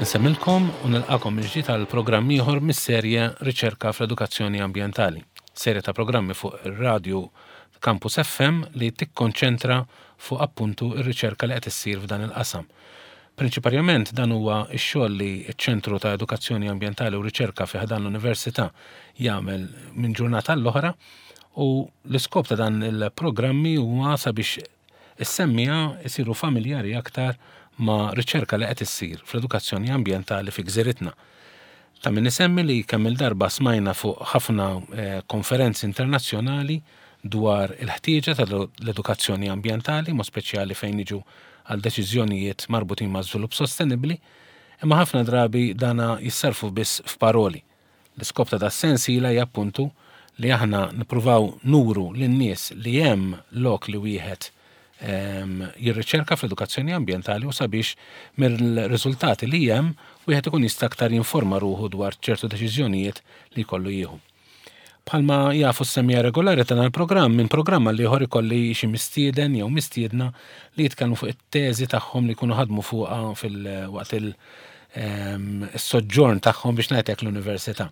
Insemmilkom u nilqakom mill-ġdid għal programm ieħor mis-serje Riċerka fl-Edukazzjoni Ambjentali. Serje ta' programmi fuq ir-radju Campus FM li tikkonċentra fuq appuntu r-riċerka li qed issir f'dan il-qasam. Prinċiparjament dan huwa x-xogħol li ċ-Ċentru ta' Edukazzjoni Ambjentali u Riċerka fi ħdan l-Università jagħmel minn ġurnata għall-oħra u l-iskop ta' dan il-programmi huwa sabiex is-semmiegħa jsiru familjari aktar ma' riċerka li qed issir fl-edukazzjoni ambjentali fi gżiritna. Ta' min isemmi li kemm-il darba smajna fuq ħafna konferenzi internazzjonali dwar il-ħtieġa ta' l-edukazzjoni ambjentali, mod speċjali fejn niġu għal deċiżjonijiet marbutin ma' żvilupp sostenibbli, imma ħafna drabi dana jissarrfu biss f'paroli. L-iskop ta' das-sensiela hija appuntu li aħna nippruvaw nuru lin-nies li hemm lok li wieħed jirriċerka fl-edukazzjoni ambjentali u sabiex mill-riżultati li hemm wieħed ikun jista' aktar jinforma ruħu dwar ċertu deċiżjonijiet li jkollu jieħu. Bħalma jafu s-semmiegħa regolari ta' dan il-programm, minn programm għal ieħor ikolli xi mistieden jew mistiedna li jitkellmu fuq it-teżi tagħhom li jkunu ħadmu fuqha fil-waqt il-soġġorn tagħhom biex ngħid hekk l-università.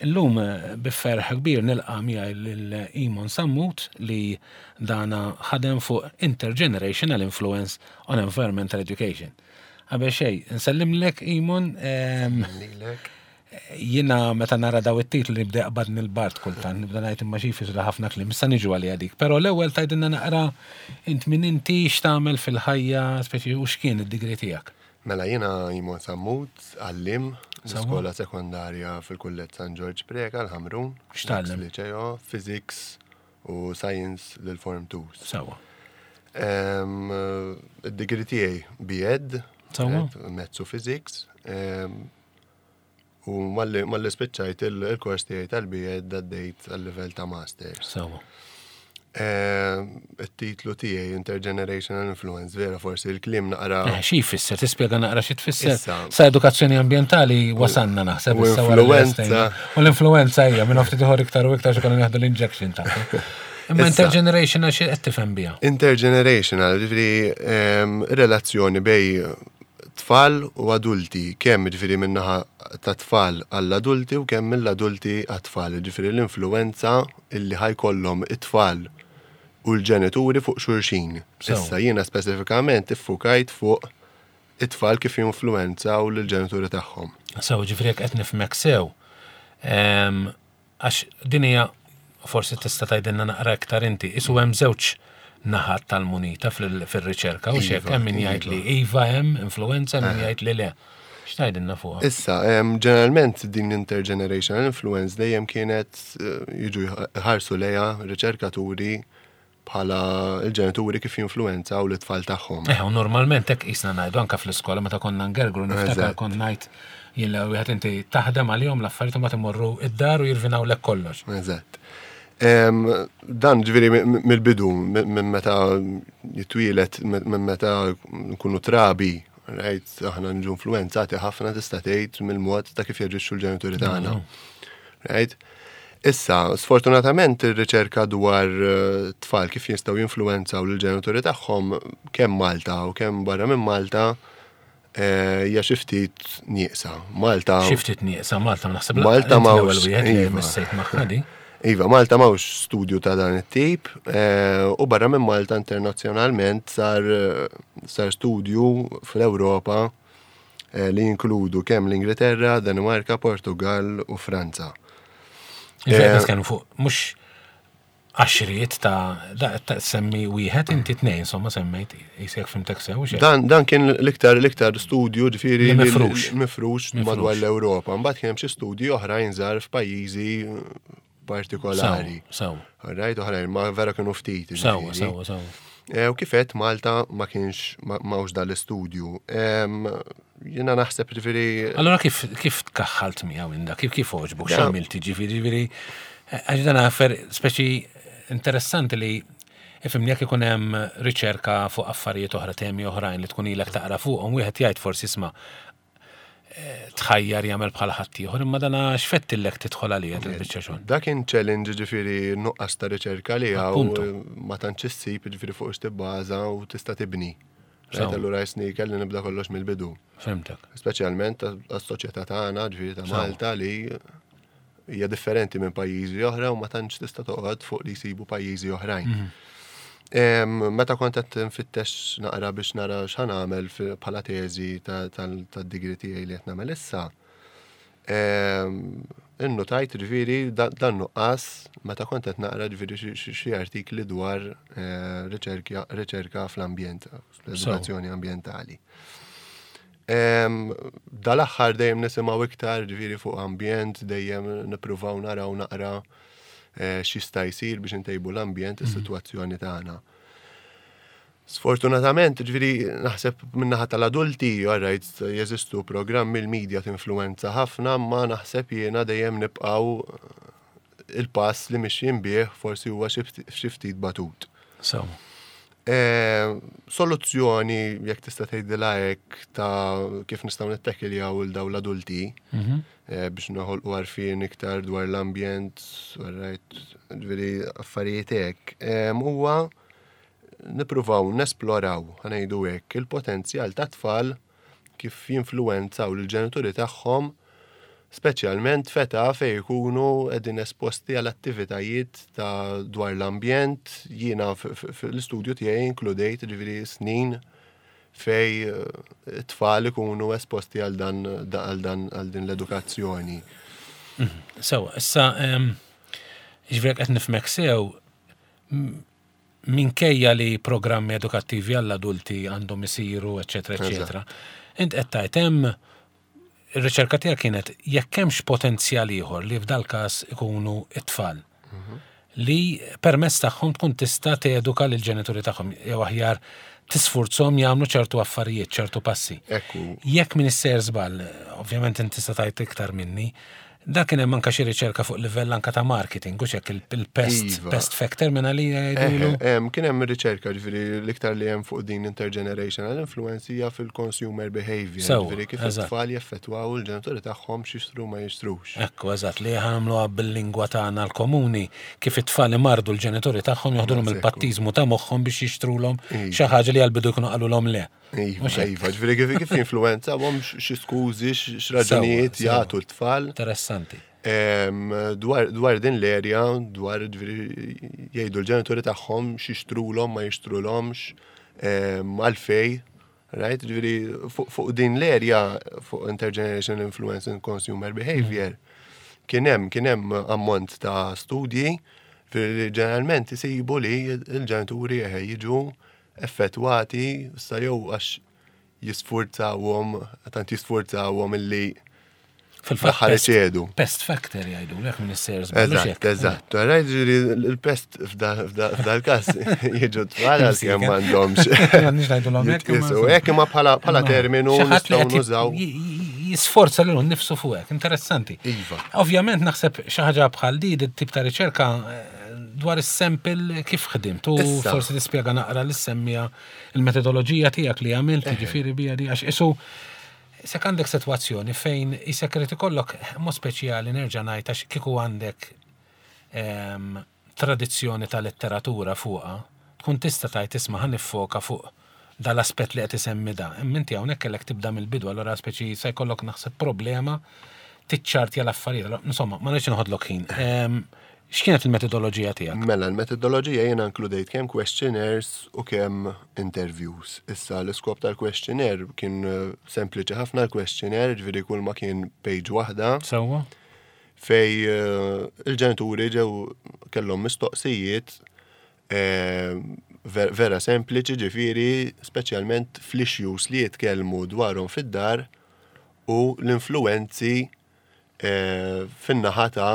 Illum bi ferħ kbir nilqa' miegħi lil Imon Sammut li dana ħadem fuq Intergenerational Influence on Environmental Education. Qabel xejn, nsellimlek Imon. Lilek. Jiena meta nara daw it-titli nibda jaqbadni l-bard kultant, nibda ngħid imma xi jfissru ħafna kliem, issa niġu għaliha dik. Però l-ewwel tgħidilna naqra int min inti, x'tagħmel fil-ħajja, speċi u x'kien id-degree tiegħek. Mela jiena Imon Sammut, għalliem l-iskola sekondarja fil-Kulleġġ San Ġorġ Preca l-Ħamrun. X'tgħallem? Liċeo, Physics u Science lil Form 2. Sewwa. Id-degree tiegħi B.Ed. Sewwa. Maths u Physics. U malli spiċċajt il-kors tiegħi tal-B.Ed għaddejt għal-livell ta' Masters. Sewwa. It-titlu tiegħi Intergenerational Influence, vera forsi l-kliem naqra. Eh, xi jfisser? Tispjega naqra xi tfisser? Sa edukazzjoni ambjentali wasanna naħseb. U influenza. U l-influenza hija minn ftit ieħor iktar u iktar xi konna nieħdu l-injection tagħha. Imma intergenerational xi qed tifhem biha? Intergenerational, ġifieri relazzjoni bej tfal u adulti, kemm jiġifieri min-naħa tat-tfal għall-adulti u kemm mill-adulti għat-tfal, jiġifieri l-influwenza illi ħa jkollhom it-tfal u l-ġenituri fuq xulxin. Issa jiena speċifikament iffukajt fuq it-tfal kif jinfluwenzaw lill-ġenituri tagħhom. Sew, jiġifieri jekk qed nifhmek sew, Għax din hija, forsi tista' tgħidilna naqra iktar inti, isu hemm żewġ naħat tal-munita fir-riċerka u xek hemm min jgħid li iva hemm influenza, hemm min jgħid li le. X'tgħidilna fuqha? Issa, ġeneralment din l-intergenerational influence dejjem kienet jiġu jħarsu lejha riċerkaturi bħala l-ġenituri kif jinfluwenzaw lit-tfal tagħhom. Eh, u normalment hekk qisna ngħidu anke fl-iskola meta konna ngergru niftakar kont ngħid jien l wieħed inti taħdem għalihom l-affarijiet u mbagħad imorru id-dar u jirvinawlek kollox. Eżatt. Dan ġifieri mill-bidu, minn meta jitwielet, minn meta nkunu trabi, right, aħna nġu influenzati ħafna tista' tgħid mill-mod ta' kif jaġixxu l-ġenituri tagħna. Right? Issa, sfortunatament ir-riċerka dwar eh, tfal kif jistgħu jinfluwenzaw lill-ġenituri tagħhom kemm Malta u kemm barra minn Malta eh, hija xi ftit nieqsa. Malta. Xi ftit nieqsa Malta naħseb Malta ma l-ewwel wieħed li iva. missejt magħha di. Iva, Malta m'hawnx studju ta' dan it-tip eh, u barra minn Malta internazzjonalment sar sar studju fl-Ewropa li jinkludu kemm l-Ingilterra, Danimarka, Portugal u Franza. Ġifieri nitkellmu fuq mhux għaxriet ta' semmi wieħed inti tnejn, insomma semmejt jisek fimtek sew. Dan, dan kien l-iktar l-iktar studju ġifieri mifrux. Mifrux madwar l-Ewropa. Mbagħad kien hemm xi studji oħrajn żgħar f'pajjiżi partikolari. Sew. Right, oħrajn, ma vera kienu ftit. Sew, sew, sew. Eh, u kifet Malta ma kienx mawx dal-istudju. Jena naħseb ġifiri. Allora kif kif tkaħħalt miegħu inda, kif kif oġbok, x'għamilt ġifiri, ġifiri, għax dan affer speċi interessanti li ifimni jekk ikun hemm riċerka fuq affarijiet oħra, temi oħrajn li tkun ilek taqra fuqhom, wieħed jgħid forsi isma' tħajjar jagħmel bħal ħaddieħor, imma dana x'fettillek tidħol għalija dil-biċċa xogħol. Dak kien challenge ġifieri nuqqas ta' riċerka li hawn ma tantx issib ġifieri fuq x'tibbaża u tista' tibni. Right, allura jisni kelli nibda kollox mill-bidu. Fhimtek. Speċjalment għas-soċjetà tagħna, ġifieri ta' Malta li hija differenti minn pajjiżi oħra u ma tantx tista' toqgħod fuq li jsibu pajjiżi oħrajn. Mhm. Meta kont qed nfittex naqra biex nara x'ħan nagħmel bħala teżi tad-digri tiegħi li qed nagħmel issa, Innutajt ġifieri dan nuqqas meta kont qed naqra ġifieri xi artikli dwar eh, riċerka fl-ambjent, l-edukazzjoni ambjentali. Dal-aħħar dejjem nisimgħu iktar ġifieri fuq ambjent, dejjem nippruvaw naraw naqra eh, x'jista' jsir biex intejbu l-ambjent, is-sitwazzjoni tagħna. Sfortunatament, ġifieri naħseb min-naħa tal-adulti, alright, jeżistu programmi l-media tinfluwenza ħafna, ma naħseb jiena dejjem nibqgħu il-pass li mixjin bih forsi huwa xi ftit batut. So. E, soluzzjoni, jekk tista' tgħidilha hekk ta' kif nistgħu nittekiljaw il daw l-adulti mhm. e, biex noħolqu għarfien iktar dwar l-ambjent, alright, ġifieri affarijiet hekk, e, huwa nippruvaw nesploraw, ħa ngħidu hekk, il-potenzjal tat-tfal kif jinfluwenzaw lill-ġenituri tagħhom speċjalment f'età fejn ikunu qegħdin esposti għal attivitajiet ta' dwar l-ambjent. Jiena fl-istudju tiegħi inkludejt ġifieri snin fej eh, it-tfal ikunu esposti għal dan għal dan għal din l-edukazzjoni. Sewa, issa ġifieri qed nifhmek sew minkejja li programmi edukattivi għall-adulti għandhom isiru, eċetera, eċetera. Int qed tgħid hemm ir-riċerka tiegħek kienet jekk hemmx potenzjal ieħor li f'dal-każ ikunu it-tfal li permezz tagħhom tkun tista' teduka lill-ġenituri tagħhom jew aħjar tisfurzhom jagħmlu ċertu affarijiet, ċertu passi. Ekku. Jekk min issejjer żball, ovvjament inti tista' tgħid iktar minni, Da kien hemm anke xi riċerka fuq livell anke ta' marketing, u hekk il-pest iva. pest factor minn għalija jgħidulu. Kien hemm riċerka ġifieri l-iktar li hemm fuq din intergenerational influence hija fil-consumer behavior, ġifieri kif it-tfal jeffettwaw il-ġenituri tagħhom x'jixtru ma jixtrux. Ekku, eżatt, li ħamluha bil-lingwa tagħna l-komuni kif it-tfal imardu l-ġenituri tagħhom joħdulhom il-pattiżmu ta' moħħhom biex jixtrulhom iva. xi ħaġa li għall-bidu jkunu qalulhom le. Iva, iva, ġifieri kif kif influenza għom xi skużi, x'raġunijiet jagħtu l-tfal. Interessanti. Dwar din l-erja, dwar ġifieri jgħidu l-ġenituri tagħhom x'jixtrulhom ma jixtrulhomx, għalfej. Right? Ġifieri fuq din l-erja fuq intergenerational influence in consumer behavior kien hemm kien hemm ammont ta' studji li ġeneralment isibu li l-ġenituri jiġu effettwati sa jew għax jisfurzawhom, tant jisfurzawhom illi Fil-fatt iċedu. Pest factor jgħidu, lek minn is-sejers. Eżatt, eżatt. Rajt ġiri l-pest f'dal-kas jiġu tfal għal-kem m'għandhomx. M'għandniex ngħidulhom hekk. Hekk imma bħala terminu nistgħu nużaw. Jisforza lilu nnifsu fuq hekk, interessanti. Iva. Ovvjament naħseb xi ħaġa bħal di, tip ta' riċerka eh, Dwar is-sample kif ħdimt u forsi tispjega naqra li semmija il-metodoloġija tiegħek li għamilt, ġifieri bija di għax isu sek għandek sitwazzjoni fejn isek irid ikollok mod speċjali nerġa' ngħid għax kieku għandek ehm, tradizzjoni ta' letteratura fuqha, tkun tista' tgħid isma' ħa niffoka fuq dal-aspett li qed isemmi da. Imma inti hawnhekk kellek tibda mill-bidu, allura speċi se jkollok naħseb problema tiċċartja l-affarijiet. Insomma, ma rridx noħodlok ħin. Ehm, x'kienet il-metodoloġija tiegħek? Mela, l-metodoloġija jiena inkludejt kemm questionnaires u kemm interviews. Issa l-iskop tal-questionnaire kien eh, sempliċi ħafna l-questionnaire, ġifieri kull ma kien page waħda. Sewwa. Fej eh, il-ġenituri ġew kellhom mistoqsijiet Vera sempliċi ġifieri speċjalment fl-issues li jitkellmu dwarhom fid-dar u l-influwenzi eh, fin-naħa ta'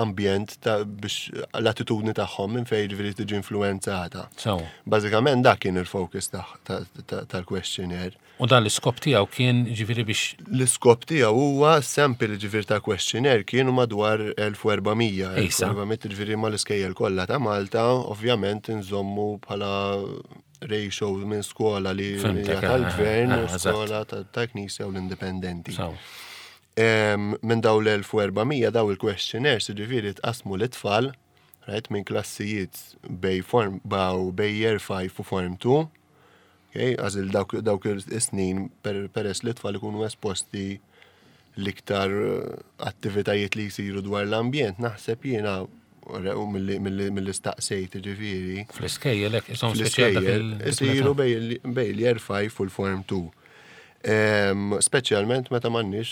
ambjent ta' biex l-attitudni tagħhom minn fejn ġifieri tiġi influwenzata. Bażikament dak kien il-focus tal-questionnaire. U dan l-iskop tiegħu kien ġifieri biex. L-iskop tiegħu huwa sample ġifieri ta' questionnaire kienu madwar 1400. 1400 ġifieri mal-iskejjel kollha ta' Malta, ovvjament inżommu bħala ratio minn skola li hija tal-gvern u skola tal-knisja u l-indipendenti. Minn daw l-1400 daw il-questionnaires ġifieri tqasmu l-itfal, right, minn klassijiet bej form baw bej year 5 u form 2. Okay? Għażil dawk, dawk is-snin peress li tfal ikunu esposti l-iktar eh, attivitajiet li jsiru dwar l-ambjent, naħseb jiena u mill-li staqsejt ġifieri. Fl-iskejjel hekk isom speċjal isiru bej l-year 5 u l-form 2. Speċjalment meta m'għandniex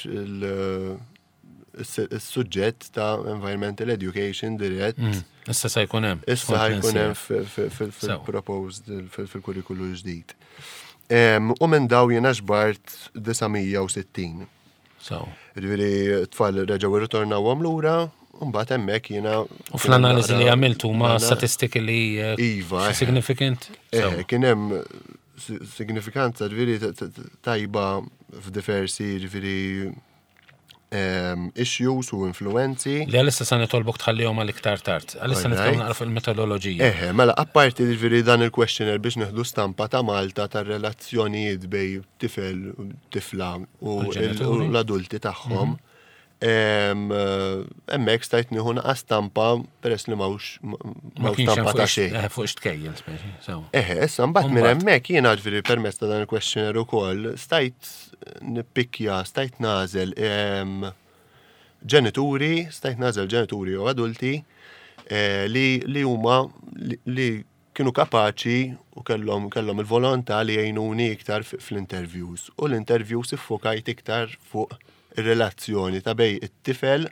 il-suġġett ta' environmental education dirett. Mm, issa se jkun hemm. Issa jkun hemm fil-proposed fil-kurrikulu ġdid. U minn daw jiena ġbart 960. So. Ġifieri tfal reġgħu irritornawhom lura, u mbagħad hemmhekk jiena. U fl-analiżi li għamiltu ma statistiki li eh, iva, eh. significant? Eh, kien hemm signifikanza ġifieri tajba f'diversi ġifieri issues u influenzi. Li għalissa sa nitolbok tħallihom għal iktar tard. Għalissa nitkellmu naqra fuq il-metodoloġija. Eħe, mela apparti ġifieri dan il-questionnaire biex nieħdu stampa ta' Malta tar-relazzjonijiet bej tifel, tifla u l-adulti tagħhom. Mhm. Hemmhekk stajt nieħu naqa' stampa peress li m'hawnx stampa ta' xejn. Eh, fuq x'tkejjel speċi. Eħe, issa mbagħad minn hemmhekk jiena ġifieri permezz ta' dan il-questionnaire ukoll stajt nippikkja, stajt nagħżel ġenituri, stajt nagħżel ġenituri u adulti eh, li huma li kienu kapaċi u kellhom kellhom il-volontà li jgħinuni iktar fl-interviews. U l-interviews iffokajt iktar fuq ir-relazzjoni ta' bej it-tifel,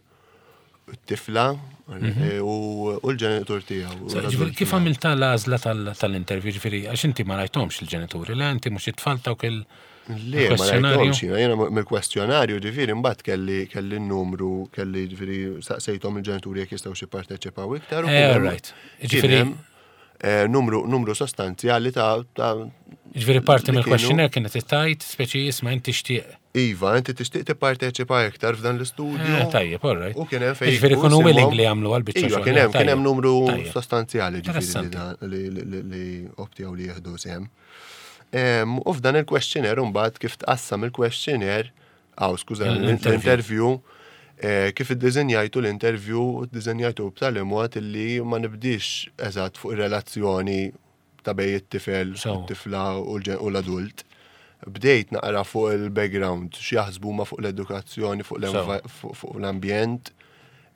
it-tifla mhm. eh, u l-ġenitur tiegħu. Kif għamilta l-għażla tal-interview ġifieri għax inti ma rajthomx il-ġenituri, le inti mhux it-tfal tawk il- Le, ma rajthomx jiena, jiena mill-kwestjonarju ġifieri mbagħad kelli kelli n-numru, kelli ġifieri saqsejthom il-ġenituri jekk jistgħu xi parteċipaw iktar. Eh, right. Ġifieri eh, numru numru sostanzjali ta' Ġifieri parti mill-questionnaire kienet tajt, speċi jisma' inti tixtieq. Iva, inti tixtieq tipparteċipa iktar f'dan l-istudju. Eh, tajjeb, all right. U kien hemm fejn. Ġifieri kunu willing li jagħmlu għal biċċa. Iva, kien hemm kien hemm numru sostanzjali ġifieri li optjaw li jieħdu sehem. U f'dan il-questionnaire mbagħad kif tqassam il-questionnaire, aw skuża, l-interview, eh, kif iddiżinjajtu l-interview, iddiżinjajtu b'tali mod li ma nibdix eżatt fuq ir-relazzjoni ta' bej it-tifel, it-tifla u l-adult. Bdejt naqra fuq il-background, x'jaħsbu ma fuq l-edukazzjoni, fuq l-ambjent,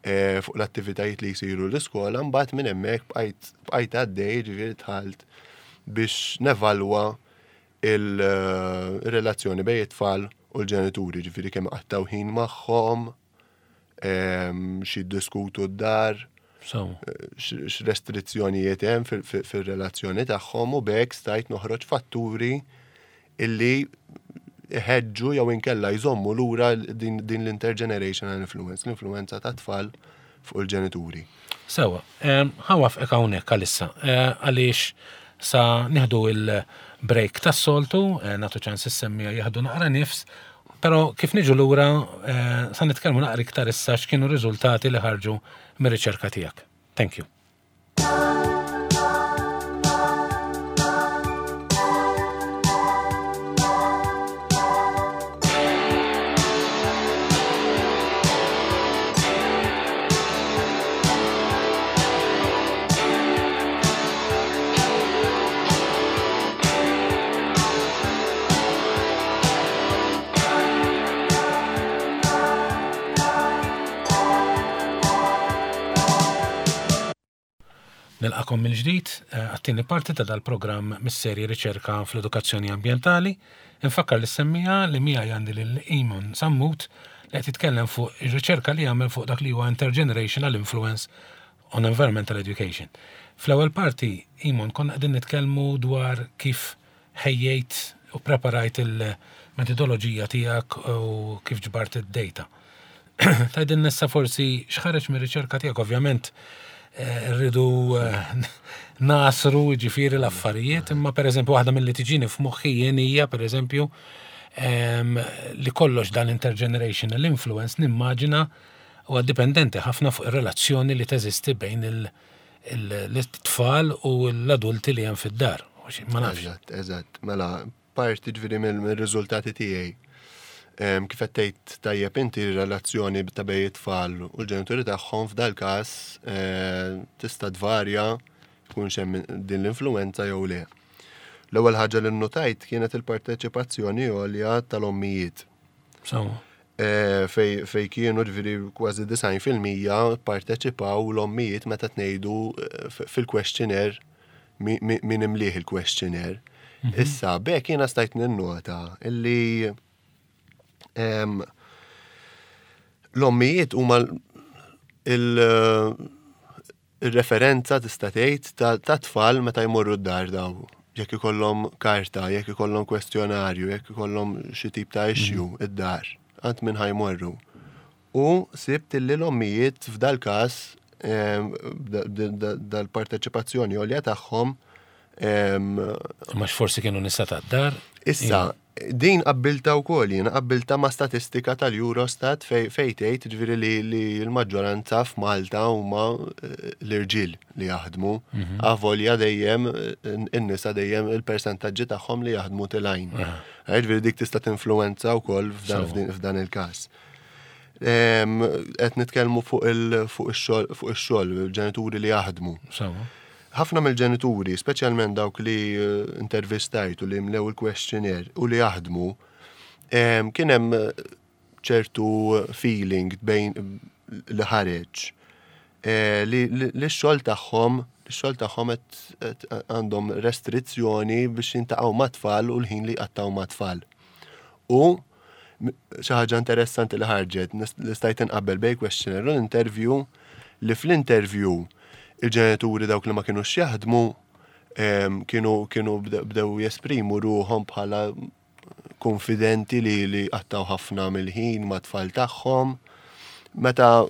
eh, fuq l-attivitajiet li jsiru l-iskola, mbagħad minn hemmhekk bqajt għaddej, ġifieri dħalt biex nevalwa il-relazzjoni bejn it-tfal u l-ġenituri, ġifieri kemm qattaw ħin magħhom, ehm, xi diskutu d-dar, x'restrizzjonijiet hemm fir-relazzjoni tagħhom u b'hekk stajt noħroġ fatturi illi iħeġġu jew inkella jżommu lura din l-intergenerational influence, l-influenza ta' tfal fuq il-ġenituri. Sewa, ħa wafqek hawnhekk għalissa, eh, għaliex sa nieħdu il-break tas-soltu, eh, nagħtu ċans is-semmija jieħdu naqra nifs, però kif niġu lura eh, sa nitkellmu naqra iktar issa x'kienu riżultati li ħarġu mir-riċerka tiegħek. Thank you. Nilqakom mill-ġdid eh, għat-tieni parti ta' dal-programm mis-serje Riċerka fl-Edukazzjoni Ambjentali. Infakkar li semmija li miegħi għandi lil Eamon Sammut li qed jitkellem fuq ir-riċerka li għamel fuq dak li huwa intergenerational influence on environmental education. Fl-ewwel parti, Eamon, konna qegħdin nitkellmu dwar kif ħejjejt u preparajt il-metodoloġija tiegħek u kif ġbart id-data. Tgħidilna issa forsi x'ħareġ mir-riċerka tiegħek, ovvjament eh, rridu eh, nasru ġifieri l-affarijiet, imma pereżempju waħda milli tiġini f'moħħi jien hija pereżempju ehm, li kollox dan intergenerational influence nimmaġina huwa dipendenti ħafna fuq ir-relazzjoni li teżisti bejn il-tfal u l-adulti li hemm fid-dar. Ma nafx. Eżatt, eżatt. Mela, parti ġifieri mill-riżultati tiegħi. Kif qed tgħid tajjeb inti r-relazzjoni ta' bejn it-tfal u l-ġenituri tagħhom f'dal-każ eh, tista' tvarja jkunx hemm din l-influenza jew le. L-ewwel ħaġa li nnotajt kienet il-parteċipazzjoni għolja tal-ommijiet. Fej kienu ġifieri kważi 90% parteċipaw l-ommijiet meta tnejdu fil-questionnaire min imlieh il-questionnaire. Issa, b'hekk jiena stajt ninnota illi l-ommijiet huma il-referenza tista' tgħid ta' tfal meta jmorru d-dar daw. Jekk ikollhom karta, jekk ikollhom kwestjonarju, jekk ikollhom xi tip ta' issue id-dar, għand min ħa jmorru. U sibt illi l-ommijiet f'dal każ dal-parteċipazzjoni għolja tagħhom. Ma forsi kienu nisa tad-dar? Issa, din qabbilta wkoll jiena qabbilta ma' statistika tal-Eurostat fej tgħid ġifieri li l-maġġoranza f'Malta huma l-irġiel li jaħdmu. Avolja dejjem in-nisa dejjem il-persentaġġi tagħhom li jaħdmu tilgħin. Ġifieri dik tista' tinfluwenza wkoll f'dan il-każ. Qed nitkellmu fuq ix-xogħol, il-ġenituri li jaħdmu. Ħafna mill-ġenituri, speċjalment dawk li intervistajt u li mlew il-questionnaire u li jaħdmu, kien hemm ċertu feeling bejn li ħareġ li x-xogħol tagħhom x-xogħol tagħhom qed għandhom restrizzjoni biex jintaqgħu mat-tfal u l-ħin li jqattgħu mat-tfal. U xi ħaġa interessanti li ħarġet, li stajt inqabbel bejn questionnaire u l-interview, li fl-interview il-ġenituri dawk li ma kinux jaħdmu kienu kienu bdew jesprimu ruħhom bħala konfidenti li qattaw ħafna mill-ħin ma' tfal tagħhom. Meta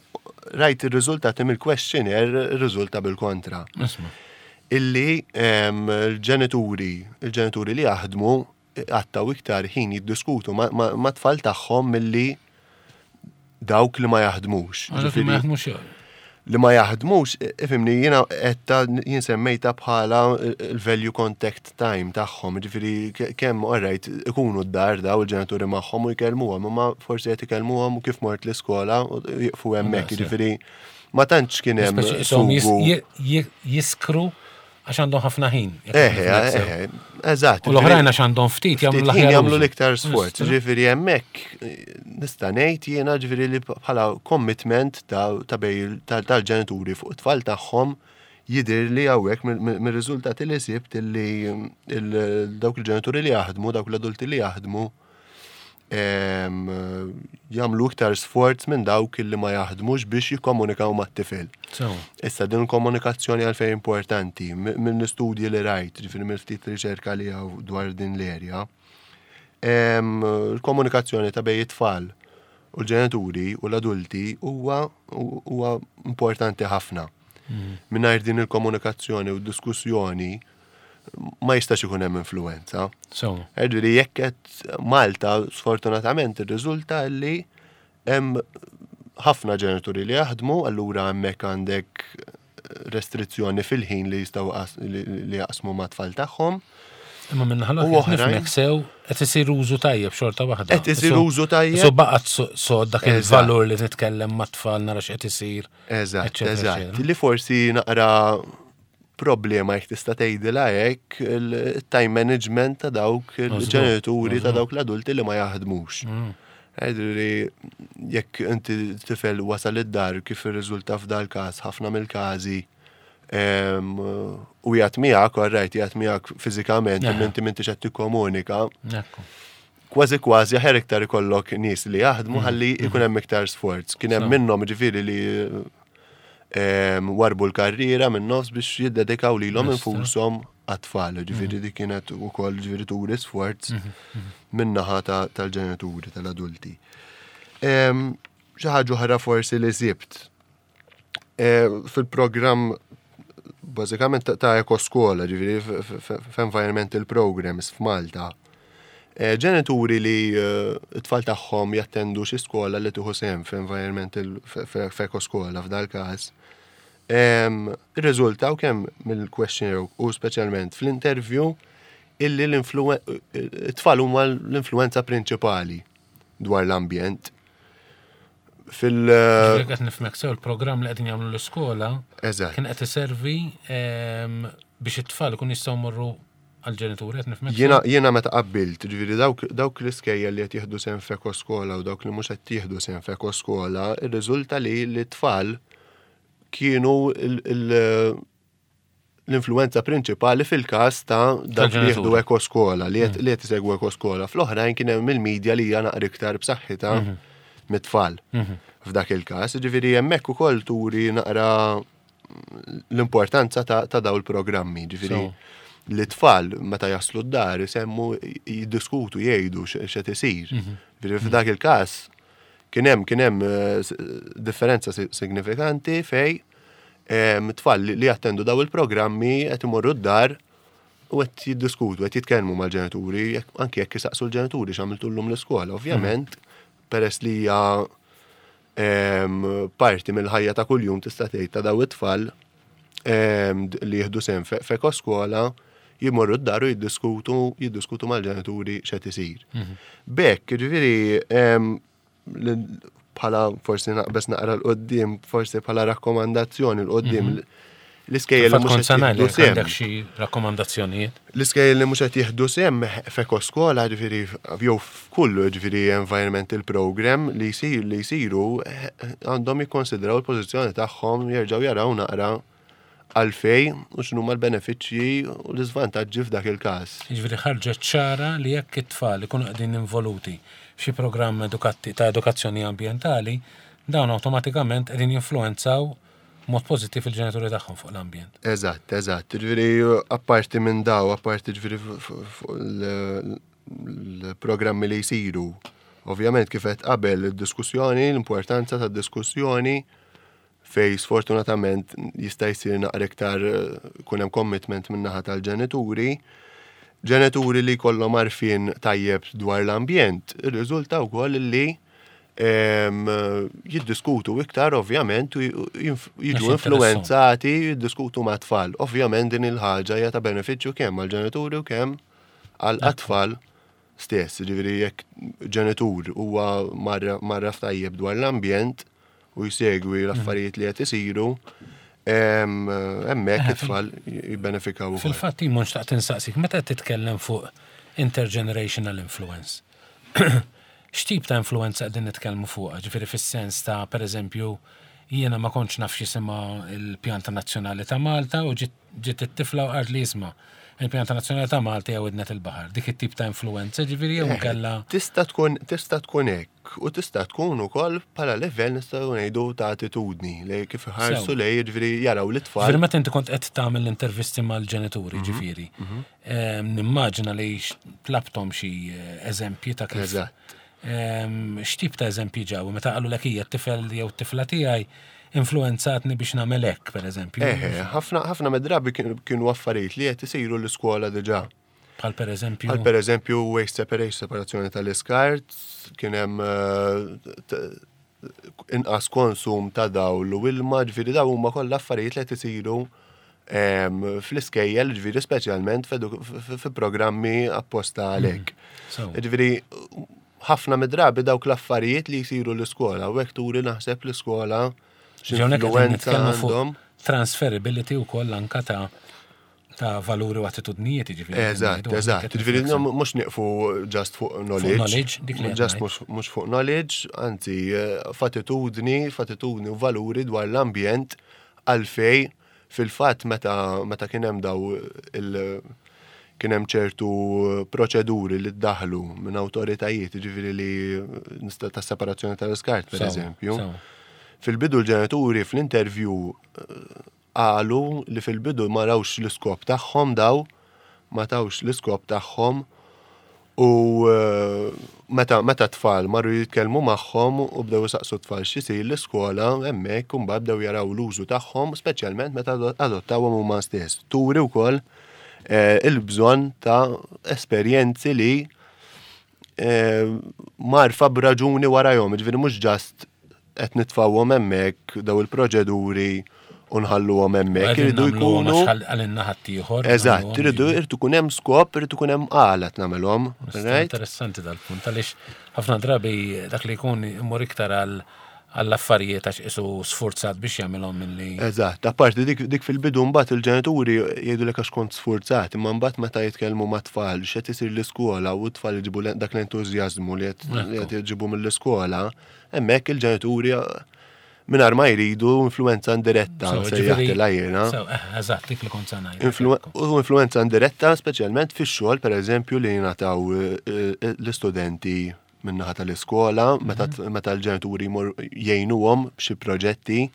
rajt ir-riżultati mill-questionnaire, irriżulta bil-kontra. Illi l-ġenituri li jaħdmu qattaw iktar ħin jiddiskutu ma' tfal tagħhom milli dawk li ma jaħdmux. Li ma jaħdmux Li ma jaħdmux, ifhimni, jiena qedta jien semmejta bħala il-value contact time tagħhom, ġifieri kemm alright ikunu d-dar daw il-ġenituri magħhom u jkellmuhom, imma forsi qed ikellmuhom u kif mort l-iskola u jiqfu hemmhekk, ġifieri ma tantx kien hemm Jiskru għax għandhom ħafna ħin. Eħe, eħe, eżatt. U l-oħrajn għax għandhom ftit jagħmlu l-aħjar. Jagħmlu l-iktar sforz. Ġifieri hemmhekk nista' ngħid jiena ġifieri li bħala commitment ta' bej tal-ġenituri fuq it-tfal tagħhom jidher li hawnhekk mir-riżultati li sibt li dawk il-ġenituri li jaħdmu, dawk l-adulti li jaħdmu jagħmlu iktar sforz minn dawk li ma jaħdmux biex jikkomunikaw mat-tifel. Issa din komunikazzjoni għalfejn importanti minn studji li rajt, ġifieri minn ftit riċerka li hawn dwar din l-erja. Il-komunikazzjoni ta' bejn it-tfal u l-ġenituri u l-adulti huwa importanti ħafna. Mingħajr din il-komunikazzjoni u d-diskussjoni ma jistax ikun hemm influenza. Ġifieri jekk qed Malta sfortunatament irriżulta li hemm ħafna ġenituri li jaħdmu, allura hemmhekk għandek restrizzjoni fil-ħin li jistgħu li jaqsmu mat-tfal tagħhom. Imma minn ħalok nifhmek sew qed isir użu tajjeb xorta waħda. Qed isir użu tajjeb. So baqgħet so dak il-valur li nitkellem mat-tfal nara x'qed isir. Eżatt, eżatt. Li forsi naqra problema jekk tista' tgħidilha hekk il-time management ta' dawk il-ġenituri ta' dawk l-adulti li ma jaħdmux. Ġifieri jekk inti tifel wasal id-dar kif irriżulta f'dal każ ħafna mill-każi u jgħat miegħek, alright, jgħat miegħek fiżikament, imma inti m'intix qed tikkomunika. Kważi kważi aħjar iktar ikollok nies li jaħdmu ħalli ikun hemm iktar sforz. Kien hemm minnhom ġifieri li warbu l-karriera minn nofs biex jiddedikaw lilhom infushom għat-tfal. Ġifieri dik kienet ukoll ġifieri turi sforz min-naħa tal-ġenituri, tal-adulti. Xi ħaġa oħra forsi li sibt fil-programm bażikament ta' ekoskola, ġifieri f'environmental programs f'Malta. Ġenituri li t-tfal tagħhom jattendu xi skola li tieħu sehem f'environmental f'ekoskola f'dal każ, irriżultaw kemm mill-questionnaire u speċjalment fl-interview illi l-tfal huma l-influenza prinċipali dwar l-ambjent. Fil- Ġifieri qed nifhmek sew il-programm li qegħdin jagħmlu l-iskola kien qed iservi biex it-tfal ikun jistgħu jmorru għall-ġenituri qed nifhmek? Jiena jiena meta qabbilt, ġifieri dawk dawk l-iskejjel li qed jieħdu sehem f'ekoskola u dawk li mhux qed jieħdu sehem f'ekoskola, irriżulta li l-tfal kienu l-influenza prinċipali fil-każ ta' dawk li jieħdu ekoskola, li qed li qed isegwu ekoskola. Fl-oħrajn kien hemm il-medja li hija naqra iktar b'saħħitha mit-tfal. F'dak il-każ, ġifieri hemmhekk ukoll turi naqra l-importanza ta' daw il-programmi, ġifieri li tfal meta jaslu d-dar isemmu jiddiskutu jgħidu x'qed isir. Ġifieri f'dak il-każ kien hemm kien hemm differenza signifikanti fej tfal li jattendu daw il-programmi qed imorru d-dar u qed jiddiskutu, qed jitkellmu mal-ġenituri, anke jekk isaqsu l-ġenituri x'għamiltu llum l-iskola. Ovvjament, peress li hija parti mill-ħajja ta' kuljum tista' tgħid ta' daw it-tfal li jieħdu sehem f'ekoskola jimorru d-dar u jiddiskutu jiddiskutu mal-ġenituri x'qed isir. B'hekk, jiġifieri bħala forsi naqbeż naqra 'l quddiem, forsi bħala rakkomandazzjoni 'l quddiem l-iskejjel li mhux qed jieħdu sehem. Għandek xi rakkomandazzjonijiet? L-iskejjel li mhux qed jieħdu sehem f'ekoskola, ġifieri jew f'kull ġifieri environmental program li jsir li jsiru għandhom jikkonsidraw il-pożizzjoni tagħhom jerġgħu jaraw naqra għalfej u x'inhuma l-benefiċċji u l-iżvantaġġi f'dak il-każ. Jiġifieri ħarġet ċara li jekk it-tfal ikunu qegħdin involuti f'xi programm ta' edukazzjoni ambjentali, dawn awtomatikament qegħdin jinfluwenzaw mod pożittiv il-ġenituri tagħhom fuq l-ambjent. Eżatt, eżatt. Ġifieri apparti minn daw, apparti ġifieri fuq l-programmi li jsiru. Ovvjament kif qed qabel id-diskussjoni, l-importanza tad-diskussjoni fej sfortunatament jista' jsir naqra iktar kun hemm commitment min-naħa tal-ġenituri. Ġenituri li jkollhom għarfien tajjeb dwar l-ambjent, irriżulta wkoll li jiddiskutu iktar ovvjament u jiġu influenzati jiddiskutu ma' tfal. Ovvjament din il-ħaġa hija ta' benefiċċju kemm għall-ġenituri u kemm għall-tfal stess. Ġifieri jekk ġenitur huwa mgħarraf tajjeb dwar l-ambjent u jsegwi l-affarijiet li qed isiru, hemmhekk it-tfal jibbenefikaw ukoll. Fil-fatt jien xtaqt insaqsik, meta qed titkellem fuq intergenerational influence, x'tip ta' influenza qegħdin nitkellmu fuqha? Ġifieri fis-sens ta' pereżempju jiena ma kontx naf x'jisimha l-Pjanta Nazzjonali ta' Malta u ġiet it-tifla u qalt li isma' il-Pjanta Nazzjonali ta' Malta hija Widnet il-Baħar. Dik it-tip ta' influenza ġifieri jew inkella. Tista' tkun tista' tkun hekk u tista' tkun ukoll bħala livell nistgħu ngħidu ta' attitudni li kif iħarsu lej jiġifieri jaraw lit-tfal. Ġifieri meta inti kont qed tagħmel l-intervisti mal-ġenituri ġifieri, nimmaġina li tlabthom xi eżempji ta' kif. Eżatt. X'tip ta' eżempji ġew meta qalulek hija t-tifel jew t-tifla tiegħi influenzatni biex nagħmel hekk, pereżempju. Eħe, ħafna ħafna mid-drabi kienu affarijiet li qed isiru l-iskola diġà. Bħal pereżempju. Bħal pereżempju waste separation, separazzjoni tal-iskart, kien hemm inqas konsum ta' dawl u ilma, ġifieri dawn huma kollha affarijiet li qed isiru fl-iskejjel, ġifieri speċjalment fi programmi apposta għalhekk. Ġifieri ħafna mid-drabi dawk l-affarijiet li jsiru l-iskola u hekk turi naħseb l-iskola x'influwenza għandhom. Transferability wkoll anka ta' ta' valuri u attitudnijiet, ġifieri. Eżatt, eżatt. Ġifieri mhux nieqfu just fuq knowledge. Knowledge, dik li Just mhux fuq knowledge, anzi f'attitudni, f'attitudni u valuri dwar l-ambjent għalfej fil-fatt meta meta kien hemm daw il kien hemm ċertu proċeduri li ddaħlu minn awtoritajiet, ġifieri li nista' ta' separazzjoni tal-iskart, per eżempju. Fil-bidu l-ġenituri fl-interview qalu li fil-bidu ma rawx l-iskop tagħhom daw, ma tawx l-iskop tagħhom u meta meta tfal marru jitkellmu magħhom u bdew isaqsu tfal x'isir l-iskola hemmhekk imbagħad bdew jaraw l-użu tagħhom speċjalment meta adottawhom huma stess. Turi wkoll il-bżonn ta' esperjenzi li mgħarrfa b'raġuni warajhom, ġifieri mhux just qed nitfgħuhom hemmhekk daw il-proċeduri u nħalluhom hemmhekk. Iridu jkunu. Għalinna ħaddieħor. Eżatt, iridu irid ikun hemm skop, irid ikun hemm għala nagħmelhom. Interessanti dal-punt, għaliex ħafna drabi dak li jkun imur iktar għal għall-affarijiet għax qisu sfurzat biex jagħmilhom milli. Eżatt, apparti dik, dik fil-bidu mbagħad il-ġenituri jgħidulek għax kont sfurzat, imma mbagħad meta jitkellmu mat-tfal x'qed isir l-iskola u t-tfal iġibu dak l-entużjażmu li qed iġibu mill-iskola, hemmhekk il-ġenituri mingħajr ma jridu influenza indiretta, sejjaħtilha jiena. Eh, eżatt, dik li kont se ngħid. U influenza indiretta speċjalment fix-xogħol pereżempju li jingħataw eh, eh, l-istudenti min-naħa tal-iskola, meta mhm. meta l-ġenituri jgħinuhom b'xi proġetti,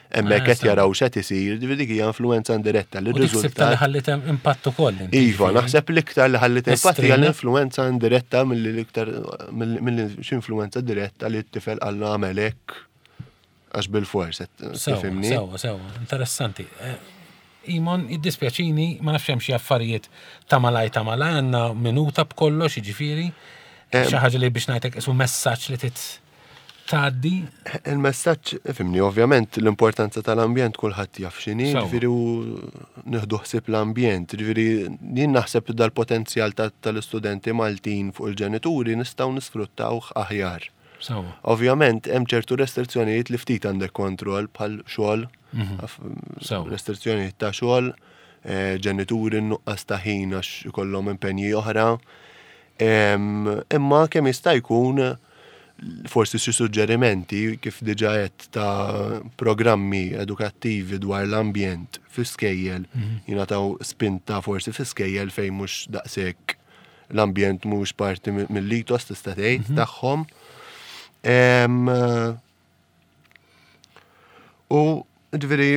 hemmhekk ah, qed jaraw x'qed isir, ġifieri dik hija influenza indiretta li r-riżultat. li ħallit impatt ukoll. Iva, naħseb l-iktar li ħallit impatt hija l-influenza indiretta milli l-iktar milli x'influenza diretta li t-tifel qallu għamel hekk għax bil-fors, tifhimni? Sewa, sewa, interessanti. Eh, Imon, jiddispjaċini, ma nafx hemm xi affarijiet ta' malaj ta' malaj għandna minuta b'kollox, jiġifieri. Eh, xi ħaġa li biex ngħidlek isu messaġġ li tit tgħaddi. Il-messaġġ, fimni, ovvjament l-importanza tal-ambjent kulħadd jaf x'inhi, ġifieri u nieħdu ħsieb l-ambjent, ġifieri jien naħseb dal-potenzjal tal-istudenti Maltin fuq il-ġenituri nistgħu nisfruttawh aħjar. Ovvjament hemm ċertu restrizzjonijiet li ftit għandek kontroll bħal xogħol, mhm. restrizzjonijiet ta' xogħol, eh, ġenituri nuqqas ta' ħin għax ikollhom impenji oħra. Imma kemm jista' jkun forsi xi suġġerimenti kif diġà qed ta' programmi edukattivi dwar l-ambjent fi skejjel mhm. jingħataw spinta forsi fi skejjel fejn mhux daqshekk l-ambjent mhux parti mill-ethos tista' tgħid mhm. tagħhom. U ġifieri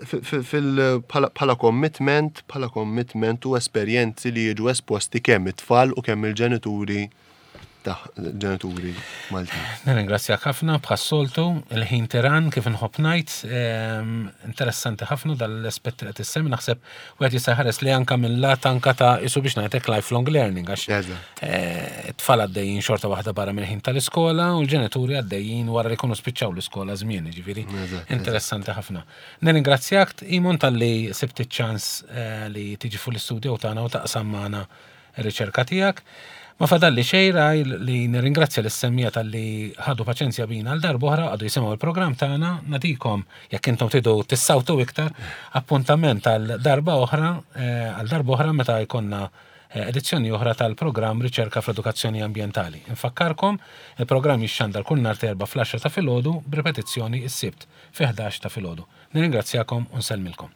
bħala commitment, bħala commitment u esperjenzi li jiġu esposti kemm it-tfal u kemm il-ġenituri ta' ġenituri Maltin. Nirringrazzjak ħafna bħas-soltu, il-ħin tiran kif inħobb ngħid, ehm, interessanti ħafna dal-aspett li qed issemmi naħseb wieħed jista' jħares li anka minn lat anka ta' isu biex ngħidlek lifelong learning għax eh, t-tfal għaddejjin xorta waħda barra mill-ħin tal-iskola u l-ġenituri għaddejjin wara li jkunu spiċċaw l-iskola żmien, ġifieri interessanti ħafna. Nirringrazzjak Imon talli sibt iċ-ċans eh, li tiġi fuq l-istudio tagħna u taqsam magħna ir-riċerka tiegħek. Ma fadalli xejn raj li nirringrazzja lis-semmiegħa talli ħadu paċenzja bina għal darb'oħra qagħdu jisimgħu l-programm tagħna. Nagħtikom, jekk intom tridu tissawtu iktar, appuntament għal darba oħra, eh, għal darb'oħra meta jkollna eh, edizzjoni oħra tal-programm Riċerka fl-Edukazzjoni Ambjentali. Infakkarkom, il-programm jixxandar kull nhar t'Erbgħa fl-għaxra ta' filgħodu b'ripetizzjoni s-Sibt fi 11 ta' filgħodu. Nirringrazzjakom u nsellmilkom.